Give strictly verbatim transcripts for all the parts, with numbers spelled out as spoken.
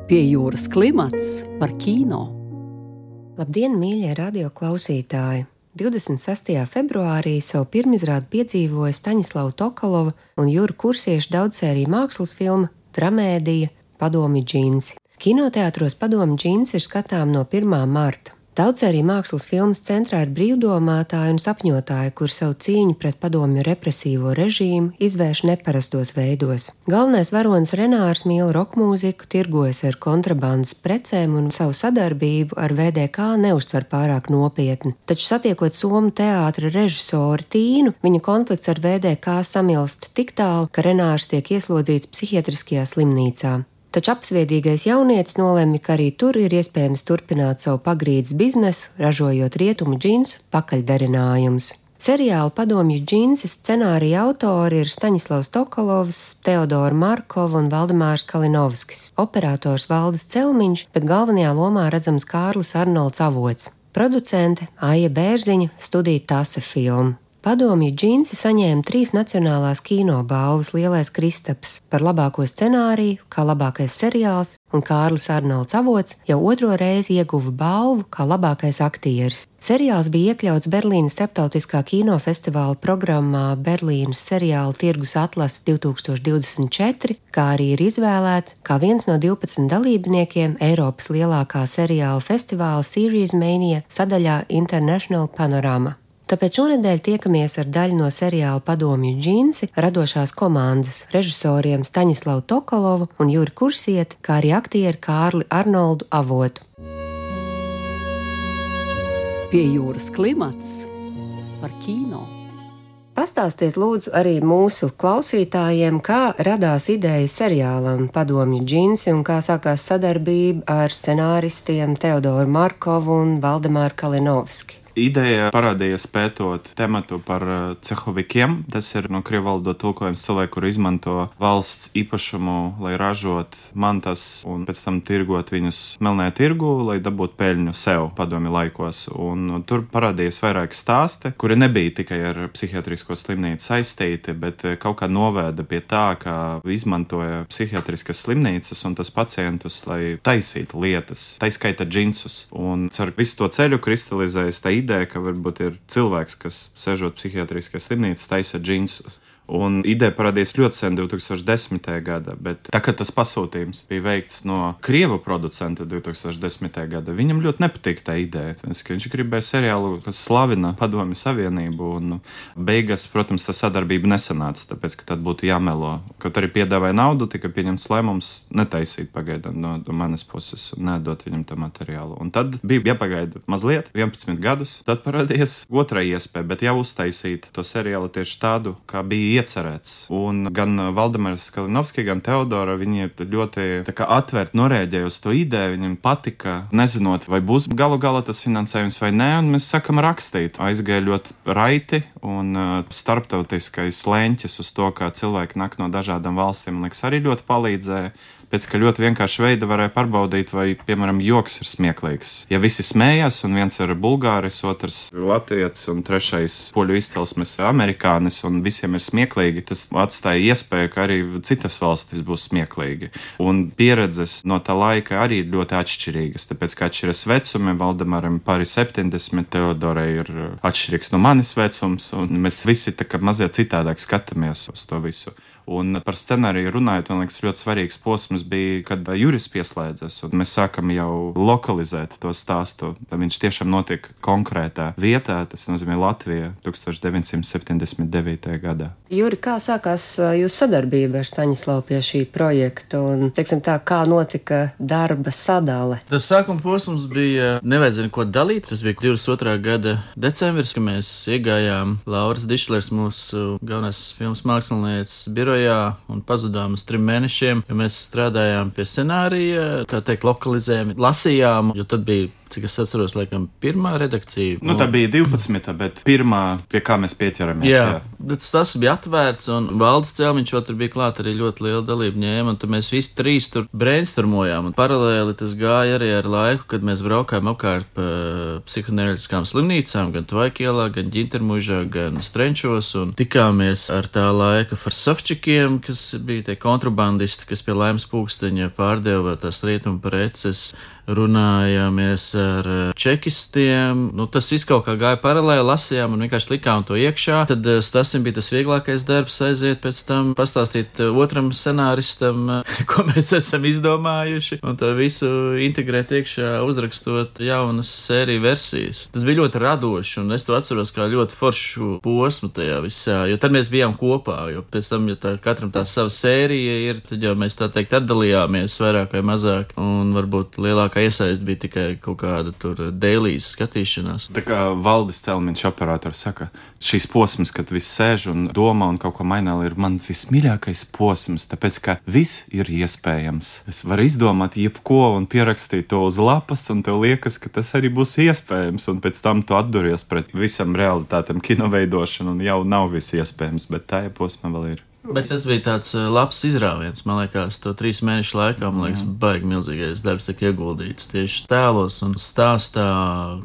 Pie jūras klimats par kino. Labdien, mīļie radioklausītāji! divdesmit sestajā februārī savu pirmizrādi piedzīvoja Staņislava Tokalova un Jura Kursieša daudzsēriju mākslas filma Tramēdija Padomju džinsi. Kinoteātros Padomju džinsi ir skatām no pirmā marta. Daudzsēriju mākslas filmas centrā ir brīvdomātāji un sapņotāji, kur savu cīņu pret padomju represīvo režīmu izvērš neparastos veidos. Galvenais varonis Renārs mīl rokmūziku, tirgojas ar kontrabandas precēm un savu sadarbību ar V D K neuztver pārāk nopietni. Taču satiekot somu teātra režisori Tīnu, viņa konflikts ar V D K samilst tik tālu, ka Renārs tiek ieslodzīts psihiatriskajā slimnīcā. Taču apsviedīgais jaunietis nolemj, ka arī tur ir iespējams turpināt savu pagrīdes biznesu, ražojot rietumu džinsu pakaļdarinājumus. Seriāla Padomju džinsi scenārija autori ir Staņislavs Tokalovs, Teodora Markova un Valdemārs Kalinovskis, operators Valdis Celmiņš, bet galvenajā lomā redzams Kārlis Arnolds Avots, producente Aija Bērziņa, studija Tase filma. Padomju džinsi saņēma trīs nacionālās kino balvas Lielais Kristaps par labāko scenāriju, kā labākais seriāls, un Kārlis Arnolds Avots jau otro reizi ieguva balvu kā labākais aktieris. Seriāls bija iekļauts Berlīnas starptautiskā kinofestivāla programmā Berlīnas seriāla tirgus atlase divi tūkstoši divdesmit četri, kā arī ir izvēlēts kā viens no divpadsmit dalībniekiem Eiropas lielākā seriāla festivāla Series Mania sadaļā International Panorama. Tāpēc šonedēļ tiekamies ar daļu no seriāla Padomju džinsi radošās komandas režisoriem Staņislavu Tokalovu un Juri Kursieti, kā arī aktieru Kārli Arnoldu Avotu. Pie jūras klimats par kino. Pastāstiet lūdzu arī mūsu klausītājiem, kā radās ideja seriālam Padomju džinsi un kā sākās sadarbība ar scenāristiem Teodoru Markovu un Valdemāru Kalinovski. Ideja parādījās pētot tematu par cehovikiem. Tas ir no krievu valodā tulkojums cilvēku, kur izmanto valsts īpašumu, lai ražot mantas un pēc tam tirgot viņus melnajā tirgu, lai dabūtu peļņu sev padomju laikos. Un tur parādījās vairāki stāsti, kuri nebija tikai ar psihiatrisko slimnīcu saistīti, bet kaut kā novēda pie tā, ka izmantoja psihiatriskas slimnīcas un tas pacientus, lai taisītu lietas, tā skaita džinsus. Un ar visu to ceļu kristalizējas tā ideja, ideja, ka varbūt ir cilvēks, kas sežot psihiatriskajā slimnīcā, taisa džinsus. Un ideja parādījās ļoti sen, divi tūkstoši desmitajā gadā, bet tā kā tas pasūtījums bija veikts no krievu producenta divi tūkstoši desmitajā gadā, viņam ļoti nepatīk tā ideja. Tas, ka viņš gribēja seriālu, kas slavina Padomju Savienību, un beigās, protams, tā sadarbība nesanāca, tāpēc, ka tad būtu jāmelo. Kaut arī piedāvāja naudu, tika pieņemts lēmums netaisīt pagaidām no, no manas puses un nedot viņam to materiālu. Un tad bija jāpagaida mazliet, vienpadsmit gadus, tad parādījās otrā iespēja, bet jau uztaisīt to seriālu tieši tādu, kā bija iecerēts. Un gan Valdemārs Kalinovski, gan Teodora, viņi ļoti tā kā atvērt norēģēja uz to ideju, viņiem patika, nezinot, vai būs galu galā tas finansējums vai nē, un mēs sakam rakstīt. Aizgāja ļoti raiti, un uh, starptautiskais leņķis uz to, kā cilvēki nāk no dažādām valstīm, liekas, arī ļoti palīdzēja. Pēc ka ļoti vienkārši veida varēja pārbaudīt, vai, piemēram, joks ir smieklīgs. Ja visi smējās, un viens ir bulgāris, otrs latvietis, un trešais poļu izcelsmes amerikānis, un visiem ir smieklīgi, tas atstāja iespēju, ka arī citas valstis būs smieklīgi. Un pieredzes no tā laika arī ir ļoti atšķirīgas, tāpēc, ka atšķiras vecumi, Valdemaram pāri septiņdesmit, Teodorai ir atšķirīgs no manis vecums, un mēs visi tā kā mazliet citādāk skatāmies uz to visu. Un par scenāriju runājot, man liekas, ļoti svarīgs posms bija, kad Juris pieslēdzas, un mēs sākam jau lokalizēt to stāstu. Tad viņš tiešām notiek konkrētā vietā, tas nozīmē Latvija tūkstoš deviņsimt septiņdesmit devītajā gadā. Juri, kā sākās jūsu sadarbība ar Staņislavu pie šī projekta, un, teiksim tā, kā notika darba sadale? Tas sākuma posms bija, nevajadzēja neko dalīt, tas bija divdesmit otrā gada decembris, kad mēs iegājām Lauras Dišlers, mūsu galvenais filmas mākslinieces birojā, un pazudām uz trim mēnešiem, jo mēs strādājām pie scenārija, tā teikt, lokalizējām, lasījām, jo tad bija cik es atceros, laikam, pirmā redakcija. Nu, tā bija divpadsmita, bet pirmā, pie kā mēs pieķeramies. Jā, jā. bet tas bija atvērts, un Valdis Celmiņš tur bija klāt arī ļoti liela dalība ņēma, un tad mēs visi trīs tur brainstormojām, un paralēli tas gāja arī ar laiku, kad mēs braukājām apkārt pa psihoanalītiskām slimnīcām, gan Tvaikielā, gan Ģintermužā, gan Strenčos, un tikāmies ar tā laika farsovčikiem, kas bija tie kontrabandisti, kas pie Laimas pulksteņa pārdeva tās rietumu preces, runājāmies ar čekistiem, nu tas viss kaut kā gāja paralēli, lasījām un vienkārši likām to iekšā, tad Stasim bija tas vieglākais darbs aiziet pēc tam pastāstīt otram scenāristam, ko mēs esam izdomājuši, un to visu integrēt iekšā, uzrakstot jaunas sēriju versijas. Tas bija ļoti radoši, un es to atceros kā ļoti foršu posmu tajā visā, jo tad mēs bijām kopā, jo pēc tam, ja tā, katram tā sava sērija ir, tad jau mēs tā teikt atdalījāmies vairāk vai mazāk, un varbūt lielākā iesaist bija tikai kaut kāda tur dailijas skatīšanās. Tā kā Valdis Celmiņš operators saka, šīs posms, kad viss sēž un domā un kaut ko mainā, ir man vismīļākais posms, tāpēc, ka viss ir iespējams. Es varu izdomāt jebko un pierakstīt to uz lapas, un tev liekas, ka tas arī būs iespējams, un pēc tam tu atduries pret visam realitātam kinoveidošanu, un jau nav viss iespējams, bet tā posma vēl ir. Bet tas bija tāds labs izrāviens, man liekas, to trīs mēnešu laikā, man liekas, baigi milzīgais darbs tiek ieguldīts tieši tēlos un stāstā.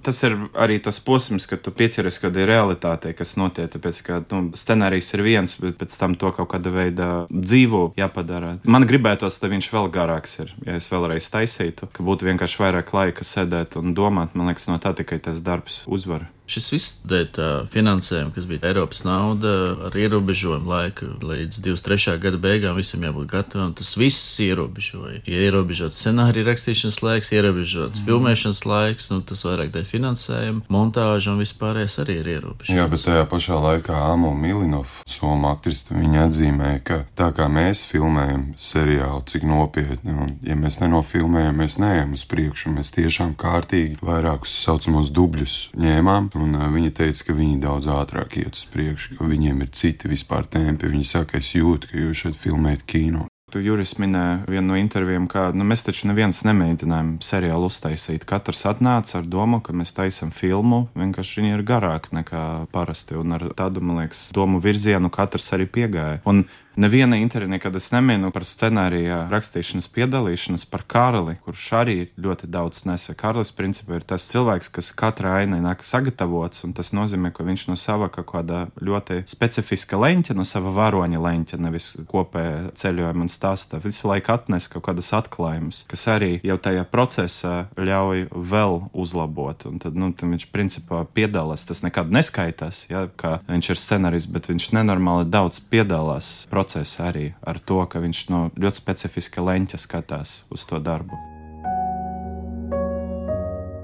Tas ir arī tas posms, kad tu pieķeries kādai realitātei, kas notiek, tāpēc, ka nu, scenārijs ir viens, bet pēc tam to kaut kāda veida dzīvo jāpadara. Man gribētos, ka viņš vēl garāks ir, ja es vēlreiz taisītu, ka būtu vienkārši vairāk laika sēdēt un domāt, man liekas, no tā tikai tas darbs uzvar. Šis viss dēļ tā finansējuma, kas bija Eiropas nauda ar ierobežojumu laiku, līdz divdesmit trešā gada beigām visam jābūt gatavam, tas viss ierobežoja. Ja ierobežots scenārija rakstīšanas laiks, ierobežots mm. filmēšanas laiks, nu tas vairāk dēļ finansējuma, montāža un vispārējais arī ir ierobežots. Jā, bet tajā pašā laikā Amo Milinov, Soma aktriste, viņa atzīmēja, ka tā kā mēs filmējam seriālu, cik nopietni, un ja mēs nenofilmējam, mēs neejam uz priekšu, mēs tiešām kārtīgi vairākus saucamos dubļus ņēmām. Un uh, viņa teica, ka viņi daudz ātrāk iet uz priekšu, ka viņiem ir citi vispār tempi. Viņa saka, es jūtu, ka jūs šeit filmējat kino. Tu, Juris, minēja vienu no intervijām, ka nu, mēs taču neviens nemēģinājām seriālu uztaisīt. Katrs atnāca ar domu, ka mēs taisam filmu, vienkārši viņi ir garāki nekā parasti. Un ar tādu, man liekas, domu virzienu katrs arī piegāja. Un neviena intervija, kad es neminu par scenārija rakstīšanas piedalīšanas par Kārli, kurš arī ļoti daudz nesa. Kārlis, principā, ir tas cilvēks, kas katra aina nāk sagatavots, un tas nozīmē, ka viņš no sava kaut kāda ļoti specifiska leņķa, no sava varoņa leņķa, nevis kopēja ceļojuma un stāsta, visu laiku atnes kaut kādas atklājumus, kas arī jau tajā procesā ļauj vēl uzlabot. Un tad, nu, tad viņš, principā, piedalās. Tas nekad neskaitās, ja, ka viņš ir scenārijs, bet viņš nenormāli daudz piedalās procesa arī ar to, ka viņš no ļoti specifiska leņķa skatās uz to darbu.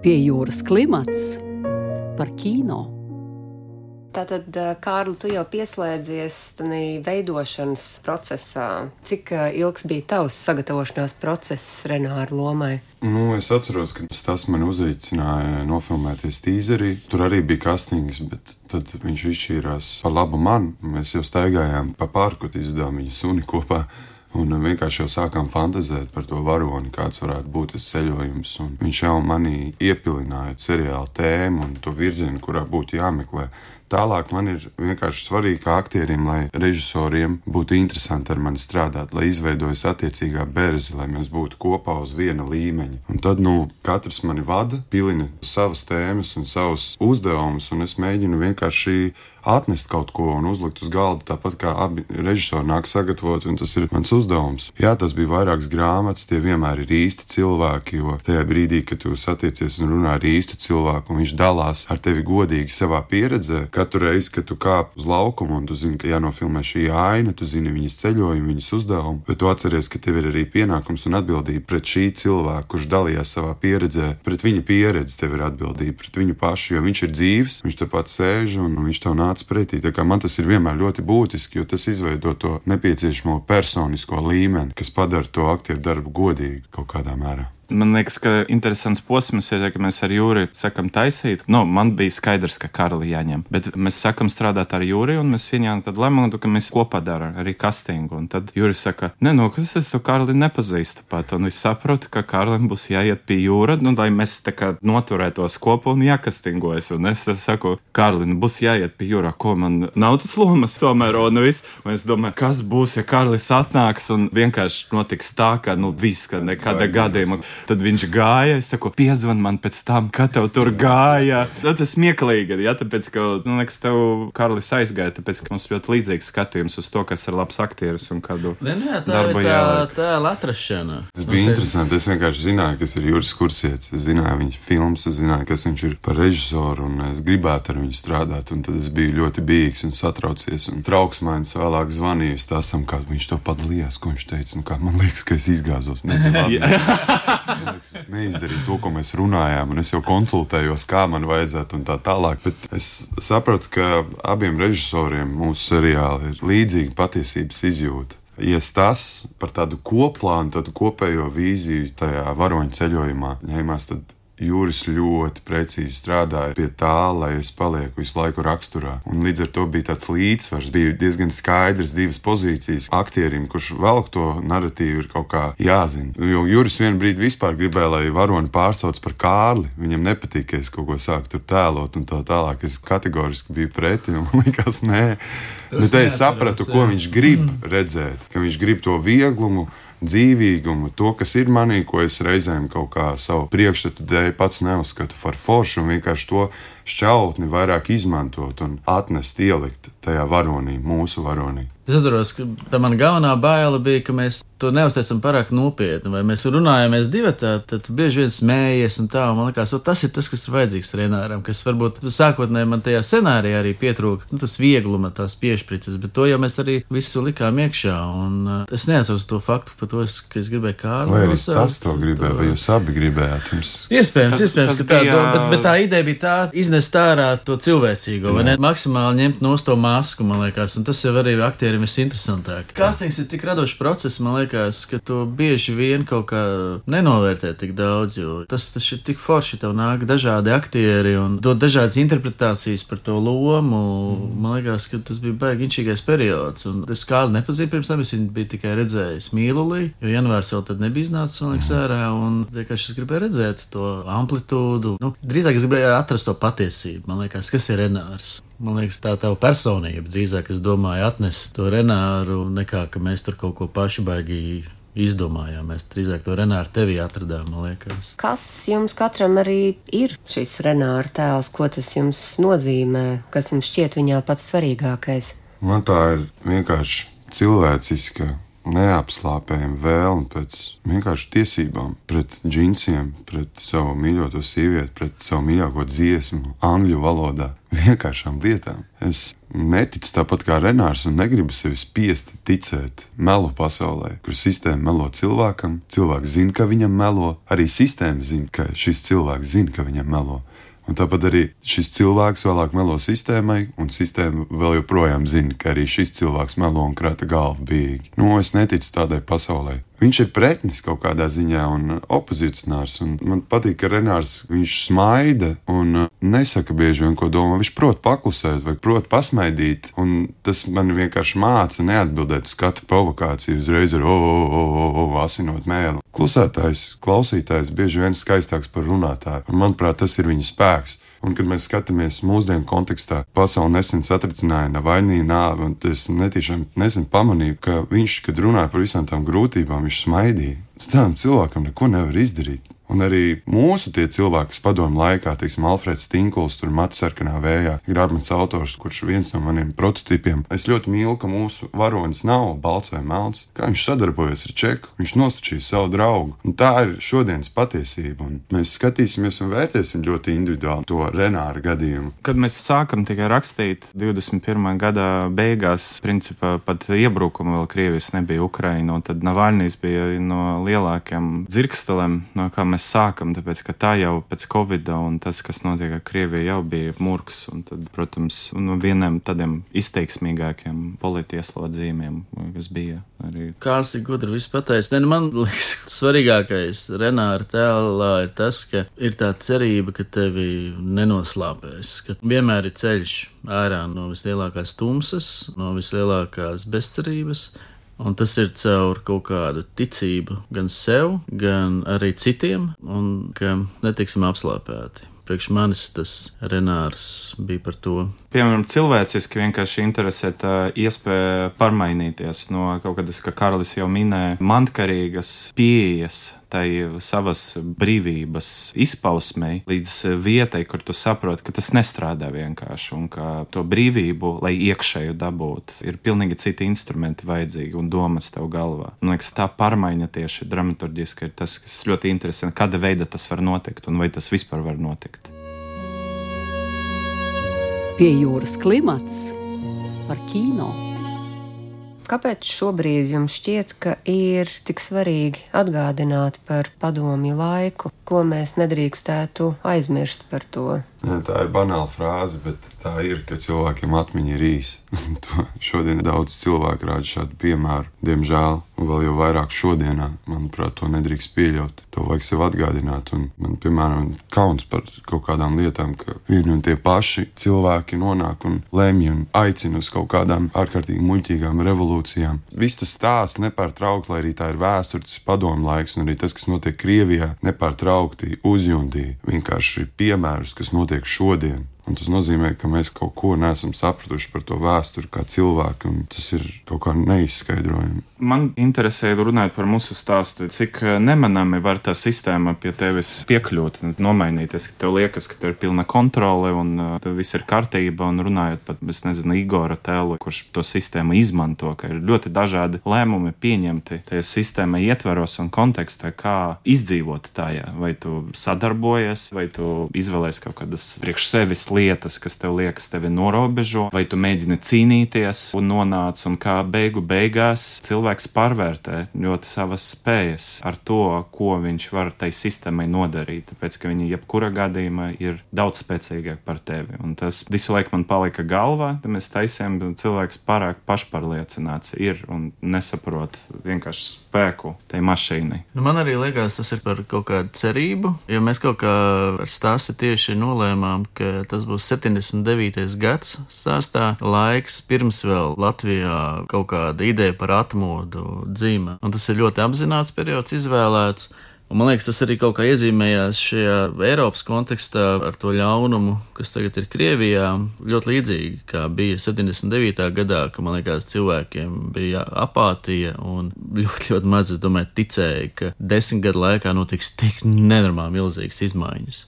Pie jūras klimats par kino. Tātad, Kārli, tu jau pieslēdzies tādā veidošanas procesā. Cik ilgs bija tavs sagatavošanās process Renāra lomai? Nu, es atceros, ka tas man uzaicināja nofilmēties tīzerī. Tur arī bija kastings, bet tad viņš izšķīrās par labu man. Mēs jau staigājām pa parku, izvedām viņa suni kopā. Un vienkārši jau sākām fantazēt par to varoni, kāds varētu būt tas ceļojums. Un viņš jau manī iepilināja seriāla tēmu un to virzienu, kurā būtu jāmeklē. Tālāk man ir vienkārši svarīgi kā aktieriem, lai režisoriem būtu interesanti ar mani strādāt, lai izveidojas attiecīgā berze, lai mēs būtu kopā uz viena līmeņa. Un tad, nu, katrs mani vada, pilina savas tēmas un savus uzdevumus, un es mēģinu vienkārši atnest kaut ko un uzlikt uz galda, tāpat kā abi režisori nāk sagatavot, un tas ir mans uzdevums. Jā, tas bija vairākas grāmatas, tie vienmēr ir īsti cilvēki, jo tajā brīdī, kad tu satiecies un runā ar īstu cilvēku, un viņš dalās ar tevi godīgi savā pieredzē, katru reizi, kad tu kāp uz laukumu, un tu zini, ka jānofilmē šī aina, tu zini viņas ceļojumu, viņas uzdevumu, bet tu atceries, ka tev ir arī pienākums un atbildība pret šī cilvēka, kurš dalījās savā pieredzē, pret viņa pieredzi tev ir atbildība, pret viņu pašu, jo viņš ir dzīves, viņš tepat sēž un viņš tev nāc pretī. Tā kā man tas ir vienmēr ļoti būtiski, jo tas izveido to nepieciešamo personisko līmeni, kas padara to aktieru darbu godīgi kaut kādā mērā. Man liekas, ka interesants posms ir, ka mēs ar Jūri sakam taisīt. Nu, man bija skaidrs, ka Karli jāņem, bet mēs sakam strādāt ar Jūri, un mēs viņām tad lematu, ka mēs kopā dara arī castingu. Un tad Jūri saka, ne, nu, kas es to Karli nepazīstu pat, un es saprotu, ka Karlim būs jāiet pie Jūra, nu, lai mēs tā kā noturētos kopā un jākastingojas. Un es tad saku, Karli, nu, būs jāiet pie Jūra, ko man nav tas lomas tomēr, un viss. Un es domāju, kas būs, ja Karlis atnāks, un vienkārši notiks tā, ka, nu, viss, ka nekāda gadījuma. Tad viņš gāja, es saku, piezvan man pēc tam, kad tev tur gāja. Tas ir smieklīgi, ja, tāpēc, ka, nu, liekas, tev Karlis aizgāja, tāpēc, ka mums ļoti līdzīgs skatījums uz to, kas ir labs aktieris un kādu ne, ne, tā darbu ir tā, jāliek. tā atrašana. Tas bija okay. interesanti. Es vienkārši zināju, kas ir Juris Kursietis. Es zināju viņa filmas, es zināju, kas viņš ir par režisoru, un es gribētu ar viņu strādāt. Un tad es biju ļoti bijīgs un satraucies. Un trauksmains vēlāk zvanīju stāstam, kā viņš to padalījās, ko viņš teica. Nu, kā, man liekas, ka es izgāzos. Es neizdarīju to, ko mēs runājām, un es jau konsultējos, kā man vajadzētu un tā tālāk. Bet es sapratu, ka abiem režisoriem mūsu seriāli ir līdzīga patiesības izjūta. Ja tas par tādu koplānu, tādu kopējo vīziju tajā varoņu ceļojumā ņēmās, tad Jūris ļoti precīzi strādāja pie tā, lai es palieku visu laiku raksturā. Un līdz ar to bija tāds līdzsvars, bija diezgan skaidrs divas pozīcijas aktierim, kurš velk to narratīvu ir kaut kā jāzina. Jo Jūris vienu brīdi vispār gribēja, lai varoni pārsauc par Kārli. Viņam nepatīk, ka es kaut ko sāku tur tēlot un tā tālāk. Es kategoriski biju preti un man likās, nē. Bet te es sapratu, ko viņš grib redzēt, ka viņš grib to vieglumu, dzīvīgumu, to, kas ir manī, ko es reizēm kaut kā savu priekšstatu dēļ pats neuzskatu par foršu un vienkārši to šķautni vairāk izmantot un atnest, ielikt tajā varonī, mūsu varonī. Es atceros, ka tā mana galvenā baila bija, ka mēs to neuztaisam pārāk nopietni, vai mēs runājamies divatā, tad bieži vien smējies un tā, un man likās, o, tas ir tas, kas ir vajadzīgs Renāram, kas varbūt sākotnēji man tajā scenārijā arī pietrūka, nu, tas viegluma, tās piešprices, bet to jau mēs arī visu likām iekšā, un uh, es neatceros to faktu par to, ka es gribēju Kārli. Vai arī tas to gribēja, vai jūs abi gribējāt jums? Iespējams, Tas- iespējams, tas ka tā, bija- bet, bet tā ideja bija tā, iznest ārā to cilvēcīgo, vai ne? Maksimāli ņemt no to masku, man liekas, un tas jau arī aktierim visinteresantāk. Kastings ir tik radošs process, man liekas, ka to bieži vien kaut kā nenovērtē tik daudz, jo tas, tas ir tik forši, tev nāk dažādi aktieri un dod dažādas interpretācijas par to lomu. Man liekas, ka tas bija baigi inčīgais periods, un es kādu nepazīju pirms tam, es viņu biju tikai redzējis Mīlulī, jo janvārs vēl tad nebija iznācis, man liekas, ārā, un vienkārši es gribēju redzēt to amplitūdu. Nu, drīzāk es gribēju atrast to patiesību, man liekas, kas ir Renārs. Man liekas, tā tava personība drīzāk, es domāju, atnest to Renāru, nekā, ka mēs tur kaut ko paši baigi izdomājām. Mēs drīzāk to Renāru tevī atradām, man liekas. Kas jums katram arī ir šis Renāra tēls? Ko tas jums nozīmē? Kas jums šķiet viņā pats svarīgākais? Man tā ir vienkārši cilvēciska, neapslāpējama vēlme pēc vienkārši tiesībām, pret džinsiem, pret savu mīļoto sievieti, pret savu mīļāko dziesmu, angļu valodā, vienkāršām lietām. Es neticu tāpat kā Renārs un negribu sevi spiesti ticēt melu pasaulē, kur sistēma melo cilvēkam, cilvēks zina, ka viņam melo, arī sistēma zina, ka šis cilvēks zina, ka viņam melo. Un tāpat arī šis cilvēks vēlāk melo sistēmai, un sistēma vēl joprojām zina, ka arī šis cilvēks melo un krāta galvu bīgi. Nu, es neticu tādai pasaulē. Viņš ir pretnis kaut kādā ziņā un opozicionārs, un man patīk, ka Renārs, viņš smaida un nesaka bieži vien, ko domā. Viņš prot paklusēt vai prot pasmaidīt, un tas man vienkārši māca neatbildēt uz katru provokāciju, uzreiz ar o, o, o, o, o, asinot mēli. Klusētājs, klausītājs bieži vien skaistāks par runātāju, un manuprāt, tas ir viņa spēks. Un, kad mēs skatāmies mūsdienu kontekstā, pasauli nesen satricināja Navaļnija nāve, un es netīšām nesen pamanīju, ka viņš, kad runāja par visām tām grūtībām, viņš smaidīja. Tādam cilvēkam neko nevar izdarīt. Un arī mūsu tie cilvēki, kas padomu laikā, teiksim, Alfreds Stinkuls, tur Mats sarkanā vējā, ir mans autors, kurš viens no maniem prototipiem. Es ļoti mīlu, ka mūsu varonis nav balts vai melns, kā viņš sadarbojas ar Čeku, viņš nostučīja savu draugu. Un tā ir šodienas patiesība, un mēs skatīsimies un vērtēsim ļoti individuāli to Renāra gadījumu. Kad mēs sākam tikai rakstīt divdesmit pirmā gada beigās, principā pat iebrukumu vēl Krievijas nebija Ukraina, un tad Navaļnijs bija no lielākiem dzirkstelēm, no kā mēs mēs sākam, tāpēc, ka tā jau pēc Covida un tas, kas notiek ar Krieviju, jau bija murgs, un tad, protams, no vieniem tādiem izteiksmīgākiem politieslodzījumiem, kas bija arī. Kārls ir gudri viss pateicis. Ne, nu man liekas, svarīgākais Renāra tēlā ir tas, ka ir tā cerība, ka tevi nenoslāpēs, ka vienmēr ir ceļš ārā no vislielākās tumsas, no vislielākās bezcerības, un tas ir caur kaut kādu ticību gan sev, gan arī citiem, un ka netiksim apslāpēti. Priekš manis tas Renārs bija par to. Piemēram, cilvēciski vienkārši interesē tā iespēja pārmainīties no kaut kādas, kā Karlis jau minēja, mantkarīgas pieejas tai savas brīvības izpausmei līdz vietai, kur tu saproti, ka tas nestrādā vienkārši un ka to brīvību, lai iekšēju dabūt, ir pilnīgi citi instrumenti vajadzīgi un domas tev galvā. Man liekas, tā pārmaiņa tieši dramaturgiski ir tas, kas ļoti interesanti, kāda veida tas var notikt un vai tas vispār var notikt. Pie jūras klimats par kino. Kāpēc šobrīd jums šķiet, ka ir tik svarīgi atgādināt par padomju laiku, ko mēs nedrīkstētu aizmirst par to? Jā, tā ir banāla frāze, bet tā ir, ka cilvēkiem atmiņa ir īsa. Šodien daudz cilvēku rāda šādu piemēru, diemžēl, un vēl jau vairāk šodienā. Manuprāt, to nedrīkst pieļaut. To vajag sev atgādināt, un man, piemēram, kauns par kaut kādām lietām, ka vieni un tie paši cilvēki nonāk un lemj un aicina uz kaut kādām ārkārtīgi muļķīgām revolūcijām. Viss tas stāsts nepārtraukti, lai arī tā ir vēstures padomu laiks, un arī tas, kas notiek Krievijā, nepārtraukti uzjundīja vienkārši piemērus, kas notiek šodien. Un tas nozīmē, ka mēs kaut ko neesam sapratuši par to vēsturi kā cilvēki, un tas ir kaut kā neizskaidrojami. Man interesē runāt par mūsu stāstu, cik nemanami var tā sistēma pie tevis piekļūt, nomainīties, ka tev liekas, ka tev ir pilna kontrole un tev viss ir kārtība, un runājot pat, es nezinu, Igora tēlu, kurš to sistēmu izmanto, ka ir ļoti dažādi lēmumi pieņemti tajā sistēma ietveros un kontekstā, kā izdzīvot tajā. Vai tu sadarbojies, vai tu izvēlies kaut kādas priekš sevis lietas, kas tev liekas tevi norobežo, vai tu mēģini cīnīties un nonāc, un kā beigu beigās cilvēks pārvērtē ļoti savas spējas ar to, ko viņš var tai sistēmai nodarīt, tāpēc, ka viņi jebkura gadījumā ir daudz spēcīgāk par tevi. Un tas visu laiku man palika galvā, tad mēs taisījām, cilvēks pārāk pašpārliecināts ir un nesaprot vienkārši spēku tai mašīnai. Nu, man arī liekas, tas ir par kaut kādu cerību, jo mēs kaut kā ar stāsti tieši nolēmām, ka tas būs septiņdesmit devītais gads stāstā, laiks pirms vēl Latvijā kaut kāda ideja par atmodu dzīme. Un tas ir ļoti apzināts periods izvēlēts. Un man liekas, tas arī kaut kā iezīmējās šajā Eiropas kontekstā ar to ļaunumu, kas tagad ir Krievijā, ļoti līdzīgi, kā bija septiņdesmit devītā gadā, ka, man liekas, cilvēkiem bija apātija un ļoti, ļoti maz, es domāju, ticēja, ka desmit gadu laikā notiks tik nenormāli milzīgas izmaiņas.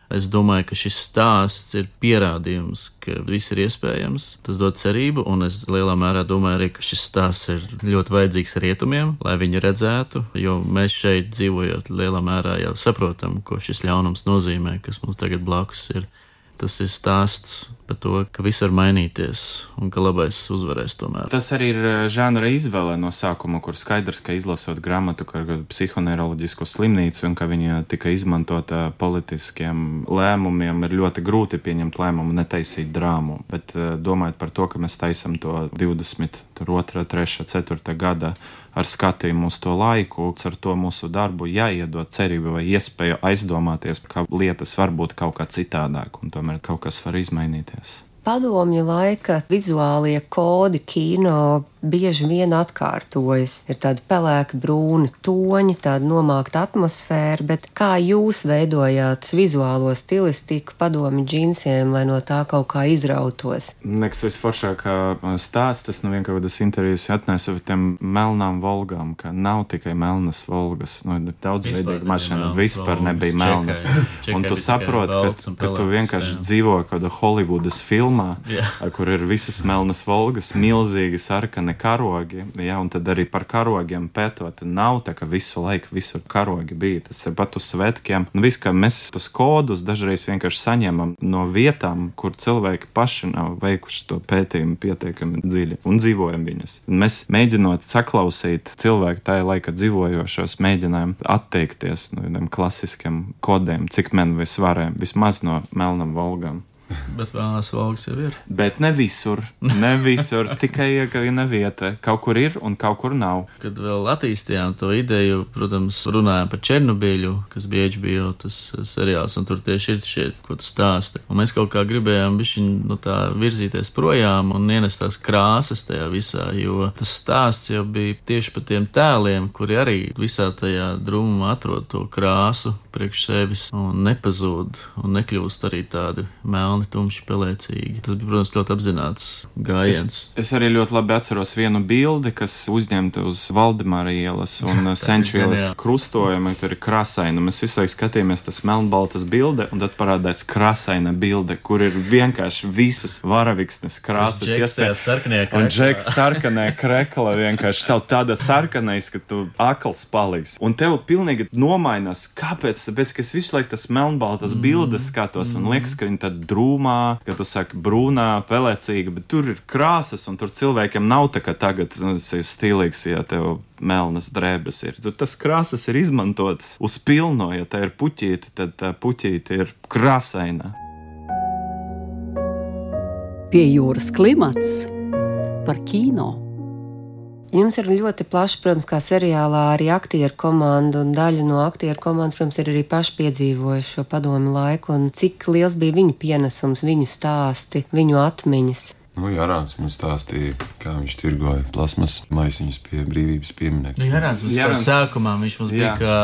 Es domāju, ka šis stāsts ir pierādījums, ka viss ir iespējams. Tas dod cerību, un es lielā mērā domāju arī, ka šis stāsts ir ļoti vajadzīgs rietumiem, lai viņi redzētu, jo mēs šeit dzīvojot lielā mērā jau saprotam, ko šis ļaunums nozīmē, kas mums tagad blakus ir. Tas ir stāsts par to, ka viss var mainīties un ka labais uzvarēs tomēr. Tas arī ir žanra izvēle no sākuma, kur skaidrs, ka izlasot grāmatu par psihoneiroloģisko slimnīcu un ka viņa tika izmantota politiskiem lēmumiem, ir ļoti grūti pieņemt lēmumu netaisīt drāmu. Bet domājot par to, ka mēs taisam to divdesmit otrā, trešā, ceturtā gada ar skatījumu uz to laiku, ar to mūsu darbu jāiedod cerību vai iespēju aizdomāties, ka lietas var būt kaut kā citādāk un tomēr kaut kas var izmainīties. Padomju laika vizuālie kodi kino bieži vien atkārtojas. Ir tādi pelēki brūni toņi, tāda nomākta atmosfēra, bet kā jūs veidojāt vizuālo stilistiku padomju džinsiem, lai no tā kaut kā izrautos? Nekas visforšākā stāsts, tas nu vienkārši intervijas atnesa ar tiem melnām Volgām, ka nav tikai melnas Volgas, nu daudzveidīga mašīna, vispār nebija melnas. Un tu saproti, ka, ka tu vienkārši jā. dzīvo kāda Holivudas filmā, filmā, Jā. kur ir visas melnas Volgas, milzīgi sarkani karogi, jā, un tad arī par karogiem pētot, nav tā, ka visu laiku visur karogi bija, tas ir pat uz svētkiem, un viss, ka mēs tos kodus dažreiz vienkārši saņemam no vietām, kur cilvēki paši nav veikuši to pētījumu pietiekami dziļi, un dzīvojam viņus. Un mēs mēģinot saklausīt cilvēku tajā laika dzīvojošos, mēģinājām atteikties no tiem klasiskiem kodiem, cik men vis varējām, vismaz no melnam Volgām. Bet vēlās Volgas jau ir. Bet ne visur, ne visur, tikai iekavina vieta. Kaut kur ir un kaut kur nav. Kad vēl attīstījām to ideju, protams, runājām par Černobiļu, kas bija H B O tas seriāls, un tur tieši ir šie, ko tu stāsti. Un mēs kaut kā gribējām bišķiņ, nu tā virzīties projām un ienest tās krāsas tajā visā, jo tas stāsts jau bija tieši par tiem tēliem, kuri arī visā tajā drūmumā atrod to krāsu priekš sevis un nepazūd un nekļūst arī tādi melni, tumši, pelēcīgi. Tas bija, protams, ļoti apzināts gājiens. Es, es arī ļoti labi atceros vienu bildi, kas uzņemta uz Valdemāra ielas un Senču ielas krustojuma, tur ir krasaina. Mēs visu laiku skatījāmies tas melnbaltas bilde, un tad parādās krasaina bilde, kur ir vienkārši visas varaviksnes krāsas. Un Džeks sarkanē krekla vienkārši tev tāda sarkanais, ka tu akls paliks. Un tev pilnīgi nomainās. Kāpēc? Tāpēc, ka es visu laiku tas melnbaltas bildes skatos, un liekas, ka viņi tad drūmā, ka tu saki brūnā, pelēcīga, bet tur ir krāsas, un tur cilvēkiem nav tā, ka tagad nu, tas ir stilīgs, ja tev melnas drēbes ir. Tur tas krāsas ir izmantotas uz pilno, ja tā ir puķīte, tad tā puķīte ir krāsaina. Pie jūras klimats par kino. Jums ir ļoti plaši, protams, kā seriālā arī aktieru komanda, un daļa no aktieru komandas, protams, ir arī paši piedzīvojuši šo padomi laiku, un cik liels bija viņu pienesums, viņu stāsti, viņu atmiņas. Nu, Jārāns man stāstīja, kā viņš tirgoja plasmas maisiņus pie brīvības pieminieku. Nu, Jārāns mums Jārāns. sākumā viņš mums bija Jā. kā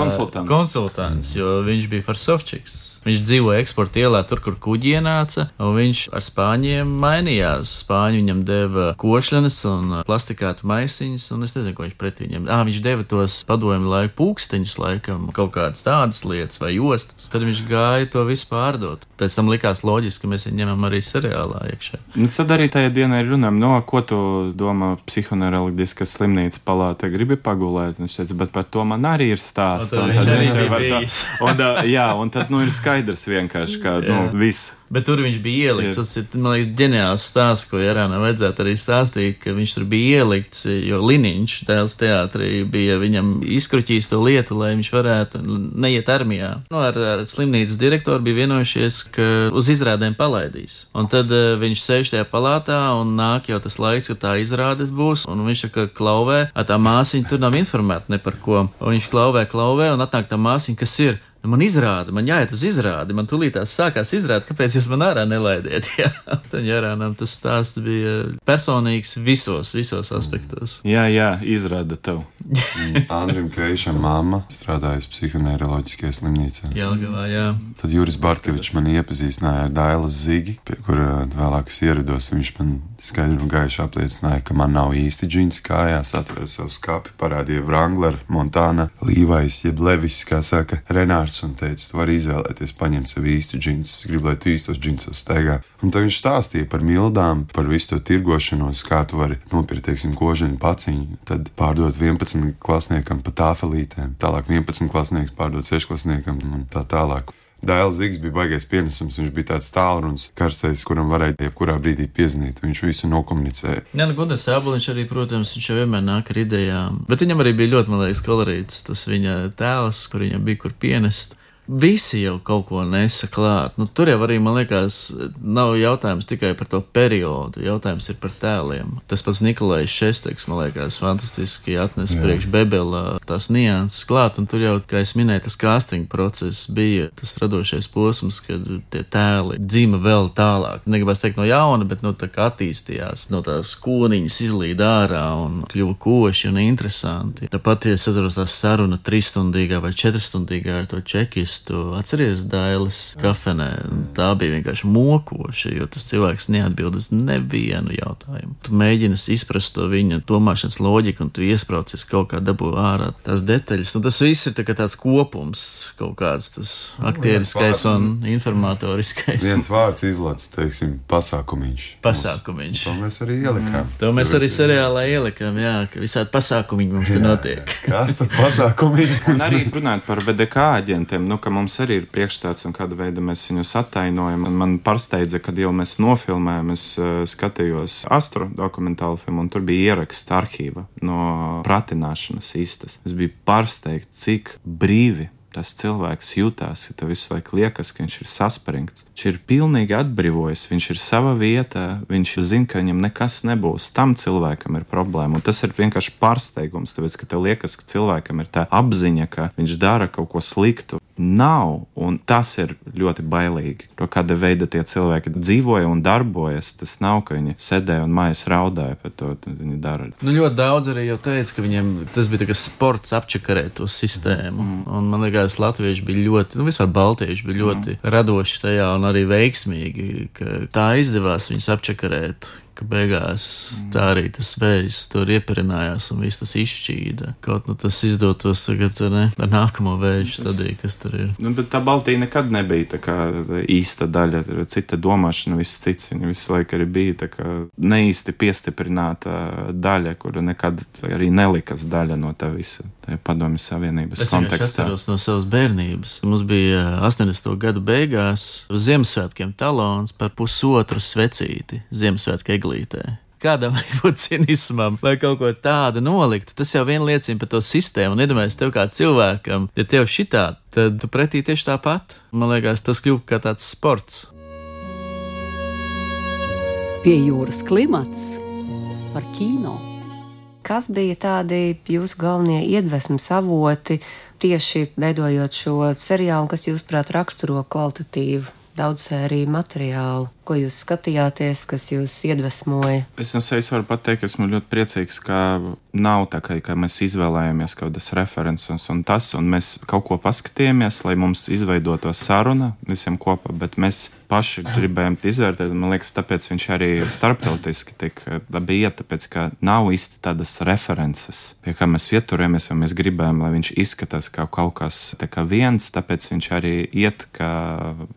Konsultants. konsultants, jo viņš bija Farsovčiks. Viņš dzīvoja eksporta ielā, tur, kur kuģi ienāca, un viņš ar spāņiem mainījās. Spāņi viņam deva košļanes un plastikātu maisiņus, un es nezinu, ko viņš pretī viņam. Ā, viņš deva tos padomju laiku pūksteņus, laikam, kaut kādas tādas lietas vai jostas. Tad viņš gāja to visu pārdot. Pēc tam likās loģiski, ka mēs viņu ņemam arī seriālā iekšā. Un tad arī tajā dienā ir runājam, no ko tu domā psihoneiroloģiska slimnīca palāte gribi pagulēt. Un es teicu, bet par to man arī ir stāsts. Un tad Un viņš tad arī viņš bija var tā- bijis. Un, uh, jā, un tad nu ir skaidrs vienkārši, ka nu, Jā. viss. Bet tur viņš bija ielikts. Tas ir, man liekas, ģeniāls stāsts, ko Jārānam vajadzētu arī stāstīt, ka viņš tur bija ielikts, jo Liniņš tēls teātrī bija viņam izkruķījis to lietu, lai viņš varētu neiet armijā. Nu, ar, ar slimnīcas direktoru bija vienojušies, ka uz izrādēm palaidīs. Un tad uh, viņš sēž tajā palātā un nāk jau tas laiks, ka tā izrādes būs, un viņš saka, klauvē, a tā māsiņa tur nav informēta ne par ko. Un viņš klauvē, klauvē, un atnāk tā māsiņa, kas ir. Man izrāda, man jāiet uz izrādi, man tūlītās sākās izrādi, kāpēc jūs man ārā nelaidiet. Jā. Tad Jārānam tas stāsts bija personīgs visos, visos aspektos. Jā, jā, izrāda tev. Andrim Keišam mamma strādājusi psihoneiroloģiskajā slimnīcā. Jelgavā, jā. Tad Juris Bartkevičs man iepazīstināja ar Dailas Zigi, pie kura vēlāk es ierados. Viņš man skaidri un gaiši apliecināja, ka man nav īsti džinsi kājās, atvēra savu skapi, parādīja Wrangler, Montana, Levi's, jeb Levis, kā saka, Renārs, un teica, tu vari izvēlēties paņemt sev īstu džinsus, es gribu, lai tu īstos džinsos staigā. Un tad viņš stāstīja par mildām, par visu to tirgošanos, kā tu vari nopirkt, teiksim, kožaņu paciņu, tad pārdot vienpadsmit klasniekam pa tāfelītēm, tālāk vienpadsmit klasnieks pārdot sešklasniekam un tā tālāk. Dailas Zigs bija baigais pienesums, viņš bija tāds tālrunis, karstais, kuram varēja jebkurā brīdī piezvanīt, viņš visu nokomunicēja. Jā, nu, Gunārs Āboliņš arī, protams, viņš jau vienmēr nāk ar idejām, bet viņam arī bija ļoti, man liekas, kolorīts tas viņa tēls, kur viņam bija kur pienest. Visi jau kaut ko nesa klāt. Nu, tur jau arī, man liekas, nav jautājums tikai par to periodu, jautājums ir par tēliem. Tas pats Nikolais Šesteks, man liekas, fantastiski atnes priekš Bebela tās nianses klāt, un tur jau, kā es minēju, tas casting process bija tas radošais posms, kad tie tēli dzima vēl tālāk. Negribas teikt no jauna, bet no tā kā attīstījās, no tās koniņas izlīd ārā un kļuva koši un interesanti. Tāpat, ja sazaros tā saruna trīsstundīgā vai četrstundīgā ar to čekistu, to atceries Dailes kafenē. Tā bija vienkārši mokoša, jo tas cilvēks neatbild uz nevienu jautājumu. Tu mēģini izprast to viņa domāšanas loģiku, un tu iespraucies kaut kā dabū ārā tās detaļas. Un tas viss ir tā kā tāds kopums, kaut kāds tas aktieriskais un informatoriskais. Viens vārds izlaists, teiksim, pasākumiņš. Pasākumiņš. To mēs arī ielikām. Mm. To mēs arī seriālā ielikām, jā, ka visādi pasākumiņi mums te notiek. Kas par pasākumiņu? Un arī runājot par V D K aģentiem, nu, ka mums arī ir priekšstats un kāda veida mēs viņus attainojam. Un man pārsteidza, kad jau mēs nofilmējam, es uh, skatījos Astro dokumentālu filmu, un tur bija ieraksts arhīva no pratināšanas istas. Es biju pārsteigts, cik brīvi tas cilvēks jutās, ka tev visu laiku liekas, ka viņš ir saspringts. Viņš ir pilnīgi atbrīvojis, viņš ir sava vietā, viņš zina, ka viņam nekas nebūs. Tam cilvēkam ir problēma, un tas ir vienkārši pārsteigums, tāpēc, ka tev liekas, ka cilvēkam ir tā apziņa, ka viņš dara kaut ko sliktu. Nav, un tas ir ļoti bailīgi. To kāda veida tie cilvēki dzīvoja un darbojas, tas nav, ka viņi sēdēja un mājas raudāja par to, viņi dara. Nu, ļoti daudz arī jau teica, ka viņiem tas bija tā kā sports apčakarēt to sistēmu, mm. un man liekas, latvieši bija ļoti, nu vispār baltieši bija ļoti mm. radoši tajā un arī veiksmīgi, ka tā izdevās viņus apčakarēt, ka beigās mm. tā arī tas vējs tur ieparinājās un viss tas izšķīda. Kaut nu tas izdotos tagad, ne, ar nākamo vēju stadiju, kas tur ir. Nu, bet tā Baltija nekad nebija tā kā īsta daļa, cita domāšana, viss cits, viņa visu laiku arī bija tā kā neīsti piestiprināta daļa, kura nekad arī nelikas daļa no tā visa. Tā ir Padomju Savienības es kontekstā. Es atceros no savas bērnības. Mums bija astoņdesmito gadu beigās uz Ziemassvētkiem talons par pusotru svecīti Ziemassvētku eglītē. Kādam vajag būt cinismam, lai kaut ko tādu noliktu. Tas jau vien liecina par to sistēmu. Un iedomājies tev kā cilvēkam, ja tev šitā, tad tu pretī tieši tāpat. Man liekas, tas kļūst kā tāds sports. Pie jūras klimats par kino. Kas bija tādi jūsu galvenie iedvesmas avoti tieši veidojot šo seriālu, kas jūsuprāt raksturo kvalitatīvu daudzsēriju materiālu? Ko jūs skatījāties, kas jūs iedvesmoja? Es no sevis varu pateikt, ka esmu ļoti priecīgs, ka nav tā, ka, ka mēs izvēlējāmies kaut kādas references un tas, un mēs kaut ko paskatījāmies, lai mums izveidotos saruna visiem kopā, bet mēs paši gribējām izvērtēt, un man liekas, tāpēc viņš arī starptautiski tik labi iet, tāpēc, ka nav īsti tādas references, pie kā mēs ieturējamies, vai mēs gribējām, lai viņš izskatās kā kaut kas tā kā viens, tāpēc viņš arī iet kā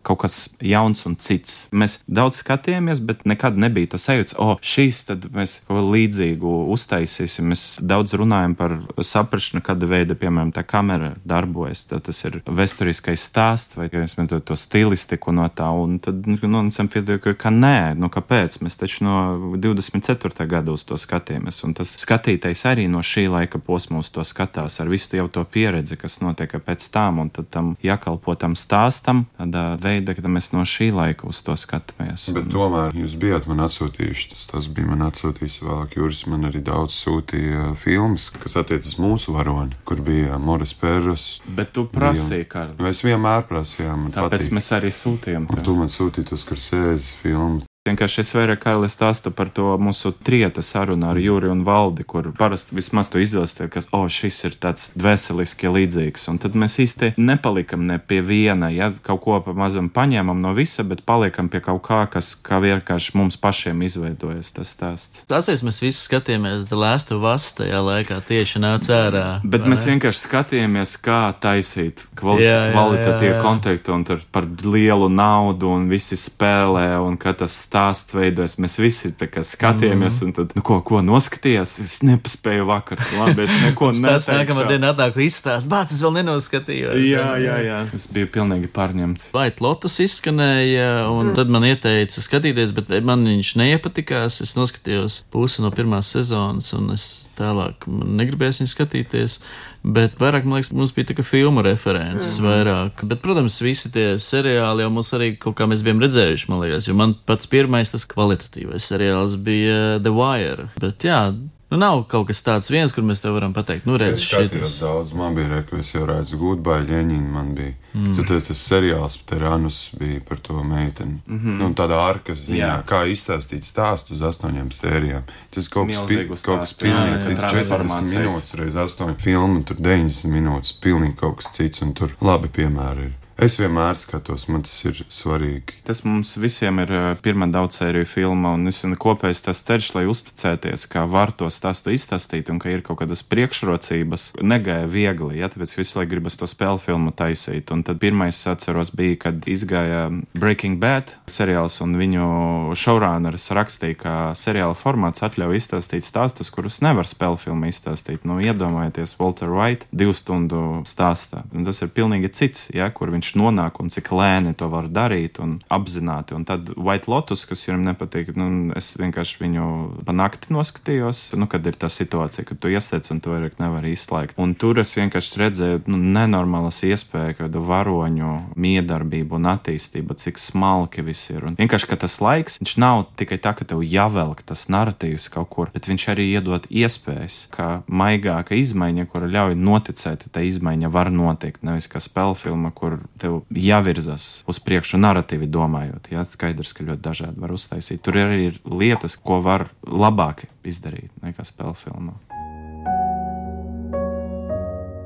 kaut kas jauns un cits. Mēs daudz skatījāmies, bet nekad nebija tas sajūts, o, šīs tad mēs kaut ko līdzīgu uztaisīsim. Mēs daudz runājam par saprašanu, kāda veida, piemēram, tā kamera darbojas. Tad tas ir vēsturiskais stāsts, vai mēs metam to stilistiku no tā, un tad, nu, nonācam pie tā, ka nē, nu kāpēc? Mēs taču no divdesmit ceturtā gada uz to skatījāmies, un tas skatītais arī no šī laika posma uz to skatās, ar visu jau to pieredzi, kas notiek pēc tām, un tad tam jākalpo tam stāstam, tādā veidā, ka mēs no šī laika uz to skatāmies. Bet tomēr jūs bijāt man atsūtījuši, tas, tas bija man atsūtījis vēlāk, Juris man arī daudz sūtīja filmas, kas attiecas mūsu varoni, kur bija Moris Perros. Bet tu prasīji, Karli. Mēs vienmēr prasījām, man Tāpēc patīk. Mēs arī sūtījām. Un tu man sūtīji to Scorsese filmu. Vienkārši es vairāk, Karli, stāstu par to mūsu trieta sarunu ar Juri un Valdi, kur parasti vismaz to izvēlēties, ka, o, šis ir tāds dvēseliski līdzīgs. Un tad mēs īsti nepalikam ne pie viena, ja kaut ko pamazam paņēmam no visa, bet paliekam pie kaut kā, kas kā vienkārši mums pašiem izveidojas tas stāsts. Tāsies mēs visi skatījāmies The Last of Us tajā laikā tieši nāca ārā. Bet vai? Mēs vienkārši skatījāmies, kā taisīt kvali jā, jā, kvalitatīvu kontekstu un tur par lielu naudu un visi spēlē un ka tas stāsts veidojas. Mēs visi tā kā skatījāmies, mm. un tad, nu, ko, ko noskatījās? Es nepaspēju vakar. Labi, es neko neteikšu. Tas nākamā diena atnāk izstāst. Bāc, es vēl nenoskatījos. Jā, jā, jā. Es biju pilnīgi pārņemts. White Lotus izskanēja, un mm. tad man ieteica skatīties, bet man viņš neiepatikās. Es noskatījos pusi no pirmās sezonas, un es tālāk negribēju viņu skatīties. Bet vairāk, man liekas, mums bija tā kā filmu references mm-hmm. vairāk. Bet, protams, visi tie seriāli jau mums arī kaut kā mēs bijām redzējuši, man liekas. Jo man pats pirmais tas kvalitatīvais seriāls bija The Wire. Bet jā, nu nav kaut kas tāds viens, kur mēs tev varam pateikt, nu redz šitas. Es skatījos daudz, man bija reka, es jau redzu Goodbye Lenin, man bija. Mm. Tad tas seriāls Teranus bija par to meiteni. Mm-hmm. Nu, tādā arkas ziņā, jā. Kā izstāstīt stāstu uz astoņām sērijām. Tas kaut kas, pi, kaut kas pilnīgi cits, četrdesmit minūtes reiz astoņu filmu, tur deviņdesmit minūtes, pilnīgi kaut kas cits, un tur labi piemēri ir. Es vienmēr skatos, man tas ir svarīgi. Tas mums visiem ir pirmā daudzsēriju filma, un es esmu kopējis tas ceļš, lai uzticēties, ka var to stāstu izstāstīt un ka ir kaut kādas priekšrocības. Negāja viegli, ja, tāpēc visu laiku gribas to spēļu filmu taisīt. Un tad pirmais, atceros, bija, kad izgāja Breaking Bad seriāls, un viņu showrunneris rakstīja, ka seriāla formāts atļauj izstāstīt stāstus, kurus nevar spēļu filmu izstāstīt. Nu, iedomājieties, Walter White divu stundu stāstā. Un tas ir pilnīgi cits, ja, kur viņš nonāk un cik lēni to var darīt un apzināti. Un tad White Lotus, kas jums nepatīk, nu, es vienkārši viņu pa nakti noskatījos, nu, kad ir tā situācija, kad tu iestiec un tu vairāk nevar izslēgt. Un tur es vienkārši redzēju, nu, nenormālas iespējas, kādu varoņu miedarbību un attīstību, cik smalki viss ir. Un vienkārši, ka tas laiks, viņš nav tikai tā, ka tev jāvelk tas narratīvs kaut kur, bet viņš arī iedod iespējas, ka maigāka izmaiņa, kura ļauj noticēt, tā izmaiņa var notikt, nevis kā spēlfilma, kur tev jāvirzas uz priekšu narratīvi domājot. Jā, skaidrs, ka ļoti dažādi var uztaisīt. Tur arī ir lietas, ko var labāk izdarīt nekā spēlfilmā.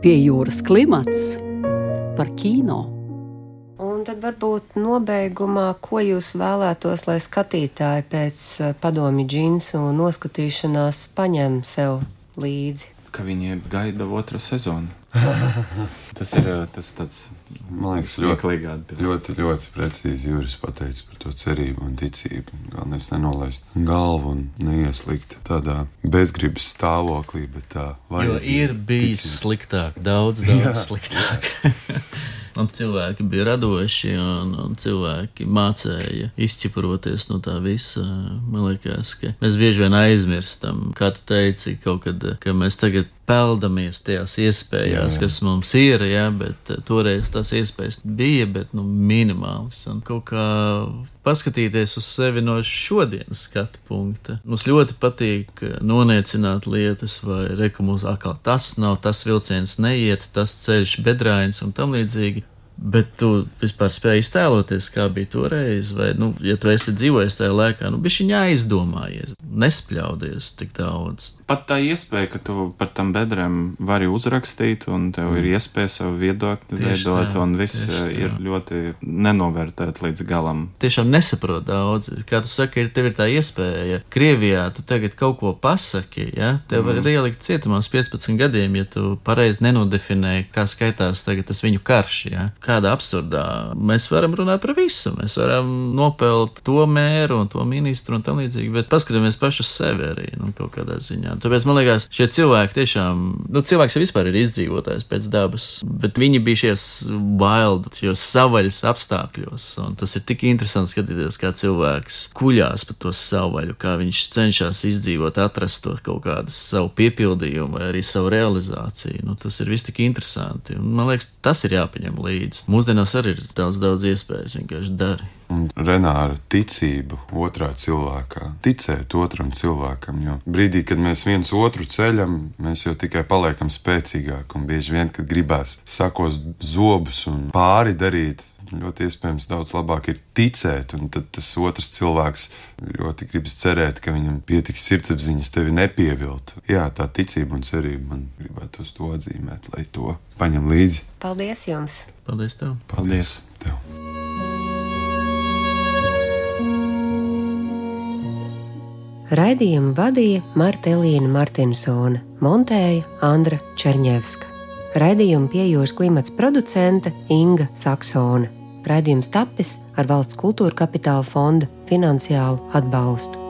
Pie jūras klimats par kino. Un tad varbūt nobeigumā, ko jūs vēlētos, lai skatītāji pēc padomju džinsu noskatīšanās paņem sev līdzi? Ka viņi gaida otru sezonu. Tas ir tas tāds, man liekas, ļoti, ļoti, ļoti precīzi Juris pateica par to cerību un ticību. Galvenais nenolaist galvu un neieslikt tādā bezgribas stāvoklī, bet tā vajadzība. Jo ir bijis ticība sliktāk, daudz, daudz sliktāk. Un cilvēki bija radoši, un, un cilvēki mācēja izķiparoties no tā visa. Man liekas, ka mēs bieži vien aizmirstam, kā tu teici, kaut kad, ka mēs tagad peldamies tajās iespējās, jā, jā. kas mums ir, jā, bet toreiz tās iespējas bija, bet, nu, minimālis. Un kaut kā paskatīties uz sevi no šodienas skatu punkta. Mums ļoti patīk noniecināt lietas, vai reka mums atkal tas nav, tas vilciens neiet, tas ceļš bedrāins un tam līdzīgi. Bet tu vispār spēji iztēloties, kā bija toreiz, vai, nu, ja tu esi dzīvojis tajā laikā, nu, bišķiņ aizdomājies, nespļaudies tik daudz. Pat tā iespēja, ka tu par tam bedrēm vari uzrakstīt, un tev ir iespēja savu viedokli veidot, un viss ir ļoti nenovērtēt līdz galam. Tiešām nesaprot daudz. Kā tu saki, ir, tev ir tā iespēja. Krievijā tu tagad kaut ko pasaki, ja? Tev var mm. ielikt cietumā uz piecpadsmit gadiem, ja tu pareizi nenodefinēji, kā skaitās tagad tas viņu karš, ja? Kāda absurdā. Mēs varam runāt par visu. Mēs varam nopelt to mēru un to ministru un tam līdzīgi, bet paskatāmies paši uz sevi arī, nu, kaut kādā ziņā. Tāpēc man liekas, šie cilvēki tiešām, nu, cilvēks jau vispār ir izdzīvotājs pēc dabas, bet viņi bija šies wild, šies savaļas apstākļos, un tas ir tik interesanti skatīties, kā cilvēks kuļās pa to savaļu, kā viņš cenšas izdzīvot, atrast to kaut kādu savu piepildījumu vai arī savu realizāciju. Nu, tas ir viss tik interesanti, un man liekas, tas ir jāpaņem līdzi. Mūsdienās arī ir daudz, daudz iespējas, vienkārši dari. Un Renāra ticību otrā cilvēkā, ticēt otram cilvēkam, jo brīdī, kad mēs viens otru ceļam, mēs jau tikai paliekam spēcīgāk, un bieži vien, kad gribās sakos zobus un pāri darīt, ļoti iespējams daudz labāk ir ticēt, un tad tas otrs cilvēks ļoti gribas cerēt, ka viņam pietiks sirdsapziņas tevi nepievilt. Jā, tā ticība un cerība, man gribētos to atzīmēt, lai to paņem līdzi. Paldies jums! Paldies tev! Paldies tev! Raidījumu vadīja Marta Elīna Martinsone, montēja Andra Čerņevska. Raidījumu Pie jūras klimats producente Inga Saksone. Raidījums tapis ar Valsts kultūra kapitāla fonda finansiālu atbalstu.